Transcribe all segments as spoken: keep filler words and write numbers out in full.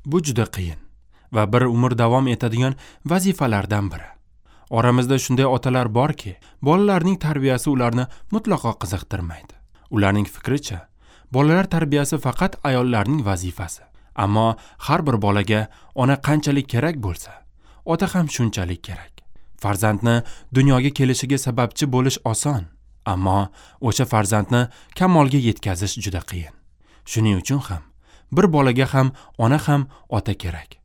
Bu juda qiyin va bir umr davom etadigan vazifalardan biri. Oramizda shunday otalar borki, bolalarning tarbiyasi ularni mutlaqo qiziqtirmaydi. Ularning fikricha, bolalar tarbiyasi faqat ayollarning vazifasi. Ammo har bir bolaga ona qanchalik kerak bo'lsa, ota ham shunchalik kerak. Farzandni dunyoga kelishiga sababchi bo'lish oson, ammo o'sha farzandni kamolga yetkazish juda qiyin. Shuning uchun ham bir bolaga ham ona ham ota kerak.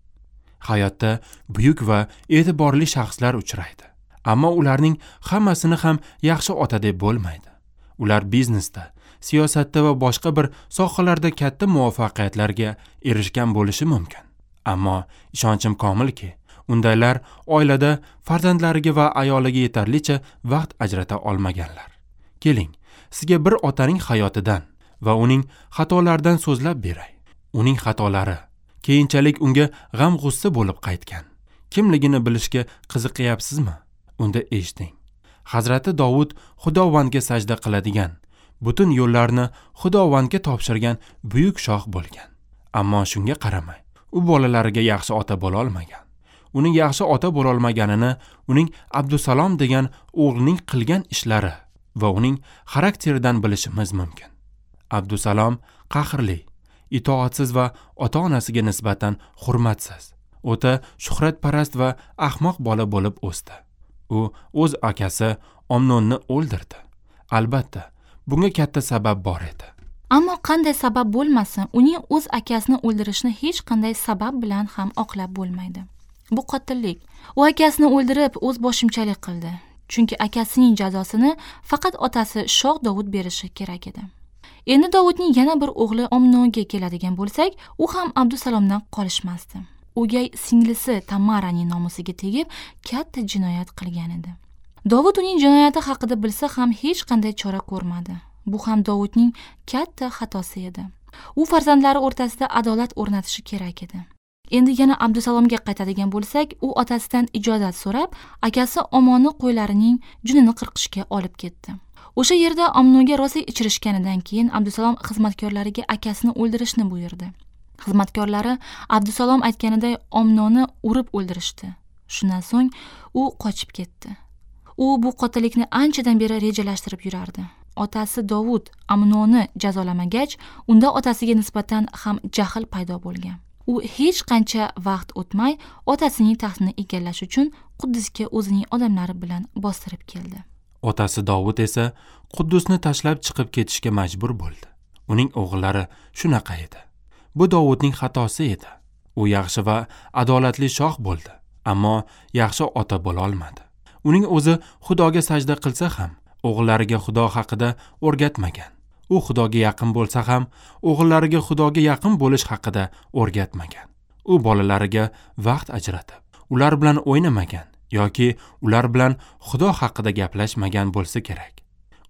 Hayotda buyuk va e'tiborli shaxslar uchraydi. Ammo ularning hammasini ham yaxshi ota deb bo'lmaydi. Ular biznesda, siyosatda va boshqa bir sohalarda katta muvaffaqiyatlarga erishgan bo'lishi mumkin. Ammo ishonchim komilki, undaylar oilada farzandlariga va ayoliga yetarlicha vaqt ajrata olmaganlar. Keling, sizga bir otaning hayotidan va uning xatolaridan so'zlab beray. Uning xatolari keyinchalik unga g'am-g'ussa bo'lib qaytgan. Kimligini bilishga qiziqyapsizmi? Unda eshiting. Hazrati Dovud Xudovandga sajda qiladigan, butun yo'llarni Xudovandga topshirgan buyuk shoh bo'lgan. Ammo shunga qaramay, u bolalariga yaxshi ota bo'la olmagan. Uning yaxshi ota bo'la olmaganini uning Abdusalom degan o'g'lining qilgan ishlari va uning xarakteridan bilishimiz mumkin. Abdusalom qahrli, itoatsiz va ota-onasiga nisbatan hurmatsiz, o'ta shuhratparast va ahmoq bola bo'lib o'sdi. U o'z akasi Omnonni o'ldirdi. Albatta, bunga katta sabab bor edi. Ammo qanday sabab bo'lmasin, uning o'z akasini o'ldirishni hech qanday sabab bilan ham oqlab bo'lmaydi. Bu qotillik. U akasini o'ldirib, o'z boshimchalik qildi. Chunki akasining jazosini faqat otasi Shoh Dovud berishi kerak edi. Endi Dovudning yana bir o'g'li Omnonga keladigan bo'lsak, u ham Abdusalomdan qolishmasdi. O'gay singlisi Tamaraning nomusiga tegib, katta jinoyat qilgan edi. Dovud uning jinoyati haqida bilsa ham hech qanday chora ko'rmadi. Bu ham Dovudning katta xatosi edi. U farzandlari o'rtasida adolat o'rnatishi kerak edi. Endi yana Abdusalomga qaytadigan bo'lsak, u otasidan ijozat so'rab, akasi Omonni qo'ylarining junini qirqishga olib ketdi. O'sha yerda Omnonga rosa ichirishganidan keyin Abdusalom xizmatkorlariga akasini o'ldirishni buyurdi. Xizmatkorlari Abdusalom aytganiday Omnonni urib o'ldirishdi. Shundan so'ng u qochib ketdi. U bu qotillikni anchadan beri rejalashtirib yurardi. Otasi Dovud Amnonni jazolamagach, unda otasiga nisbatan ham jahl paydo bo'lgan. U hech qancha vaqt o'tmay otasining taxtini egallash uchun Quddusga o'zining odamlari bilan bostirib keldi. Otasi Dovud esa Quddusni tashlab chiqib ketishga majbur bo'ldi. Uning o'g'illari shunaqa edi. Bu Dovudning xatosi edi. U yaxshi va adolatli shoh bo'ldi, ammo yaxshi ota bo'la olmadi. Uning o'zi Xudoga sajda qilsa ham, o'g'illariga Xudo haqida o'rgatmagan. U Xudoga yaqin bo'lsa ham, o'g'illariga Xudoga yaqin bo'lish haqida o'rgatmagan. U bolalariga vaqt ajratib, ular bilan o'ynamagan yoki ular bilan Xudo haqida gaplashmagan bo'lsa kerak.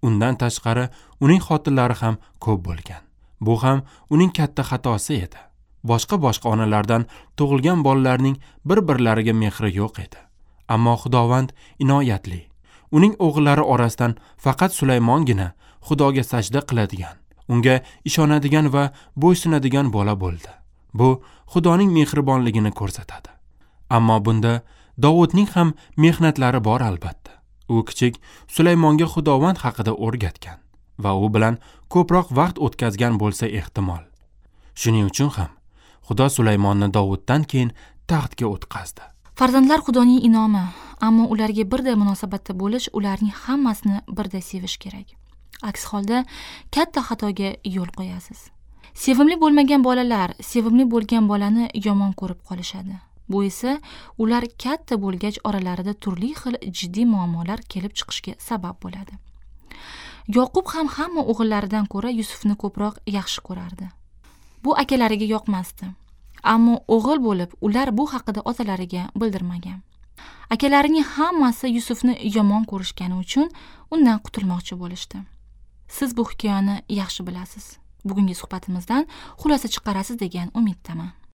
Undan tashqari uning xotinlari ham ko'p bo'lgan. Bu ham uning katta xatosi edi. Boshqa-boshqa onalardan tug'ilgan bolalarning bir-birlariga mehri yo'q edi. Ammo Xudovand inoyatli. Uning o'g'illari orasidan faqat Sulaymongina Xudoga sajda qiladigan, unga ishonadigan va bo'ysunadigan bola bo'ldi. Bu Xudoning mehribonligini ko'rsatadi. Ammo bunda Dovudning ham mehnatlari bor albatta. U kichik Sulaymonga Xudovand haqida o'rgatgan va u bilan ko'proq vaqt o'tkazgan bo'lsa ehtimol. Shuning uchun ham Xudo Sulaymonni Dovuddan keyin taxtga o'tqazdi. Farzandlar Xudoning inomi, ammo ularga birday munosabatda bo'lish, ularning hammasini birday sevish kerak. Aks holda katta xatoga yo'l qo'yasiz. Sevimli bo'lmagan bolalar sevimli bo'lgan bolani yomon ko'rib qolishadi. Bu esa ular katta bo'lgach oralarida turli xil jiddiy muammolar kelib chiqishiga sabab bo'ladi. Yoqub ham hamma o'g'illaridan ko'ra Yusufni ko'proq yaxshi ko'rardi. Bu akalariga yoqmasdi. Ammo o'g'il bo'lib, ular bu haqida otalariga bildirmagan. Akalarining hammasi Yusufni yomon ko'rishgani uchun undan qutulmoqchi bo'lishdi. Siz bu hikoyani yaxshi bilasiz. Bugungi suhbatimizdan xulosa chiqarasiz degan umiddaman.